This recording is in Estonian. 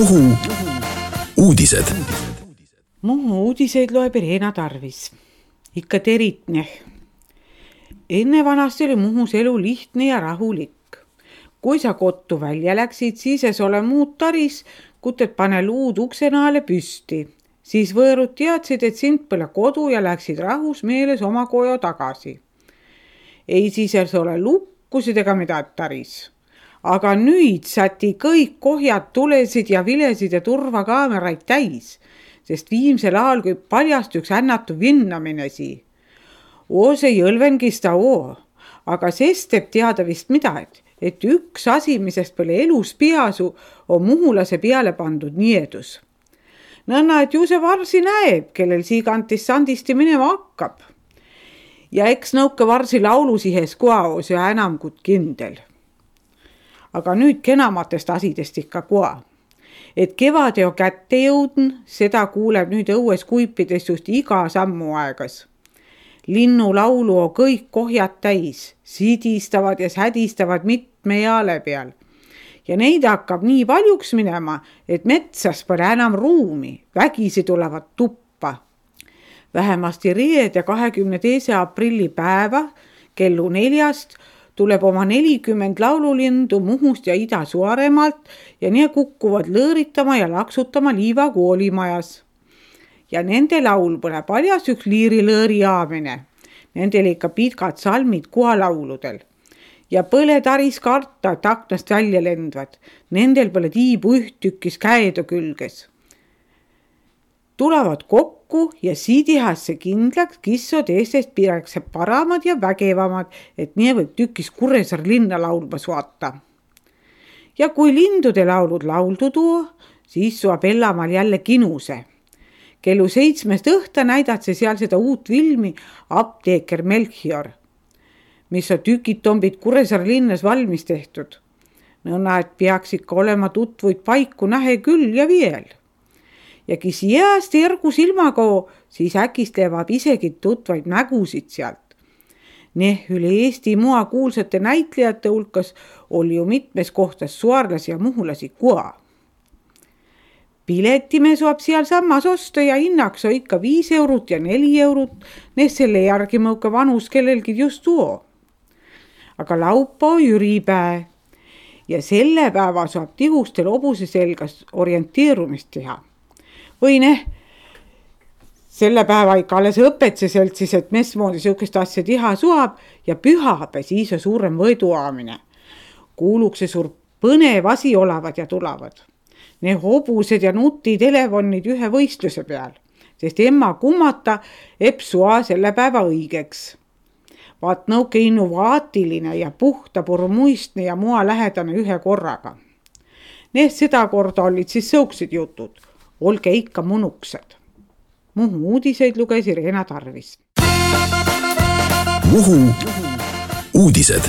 Muhu uudised. Muhu uudiseid loeb Reena Tarvis. Ikka teritne. Enne vanasti oli Muhus elu lihtne ja rahulik. Kui sa kottu välja läksid, siis ei ole muud taris, kutet pane luud uksenaale püsti. Siis võõrud teadsid, et sind pole kodu ja läksid rahus meeles oma koju tagasi. Ei siis ei ole lukkusid ega midagi taris. Aga nüüd säti kõik kohjad tulesid ja vilesid ja turvakaameraid täis, sest viimsel ajal kui paljast üks ännatu vinnaminesi. See jõlvenkista aga sest teeb teada vist midagi, et üks asi, misest pole elus peasu, on muhulase peale pandud niedus. Nõnna, et ju see varsi näeb, kellel siigantis sandisti minema hakkab. Ja eks nõuke varsi laulusihes koos ja enam kui kindel. Aga nüüd kenamatest asidest ikka koa. Et kevade on kätte jõudn, seda kuuleb nüüd õues kuipides just iga sammu aegas. Linnu laulu on kõik kohjad täis, sidistavad ja sädistavad mitme jaale peal. Ja neid hakkab nii paljuks minema, et metsas pole enam ruumi, vägisi tulevad tuppa. Vähemasti reede 22. aprilli päeva kellu 4 tuleb oma 40 laululindu Muhust ja Ida-Suaremaalt ja need kukkuvad lõõritama ja laksutama Liiva koolimajas. Ja nende laul pole paljas üks liirilõõri aamine. Nendel ikka pitkad salmid kualauludel. Ja põle taris karta, et aknast välja lendvad. Nendel pole tiibu ühtükis käedo külges. Tulevad kokku ja siidihasse kindlaks kissod Eestest piirakse paramad ja vägevamad, et nii võib tükis Kuressaare linna laulmas vaata. Ja kui lindude laulud lauldu tuo, siis suab Ellamaal jälle kinuse. Kellu 7 õhta näidatse seal seda uut filmi Apteeker Melchior, mis on tükid tombid Kuressaare linnas valmis tehtud. Nõnna, et peaks ikka olema tutvuid paiku nähe küll ja veel. Ja kes jääst ergu silmaga, siis äkist levab isegi tutvaid nägusid sealt. Üle Eesti mua kuulsate näitlejate hulkas oli ju mitmes kohtas suarlasi ja muhulasi koa. Piletime saab seal samas osta ja hinnaks on ikka 5 eurot ja 4 eurot, selle järgi mõuka vanus kellelgi just tuo. Aga laupa on jüripäe ja selle päeva saab tihustel hobuse selgas orienteerumist teha. Või selle päeva ikka alles õpetse seltsis, et mesmoodi sihukest asja tiha suab ja pühapäe siis on suurem võiduaamine. Kuulukse suur põnev asi olevad ja tulevad. Need hobused ja nutitelefonid ühe võistluse peal, sest emma kummata epsua selle päeva õigeks. Vaat nõuke innovaatiline ja puhta purmuistne ja mua lähedane ühe korraga. Seda korda olid siis sõuksid jutud. Olge ikka munuksed. Muhu uudiseid lugesi Reena Tarvis. Muhu uudised.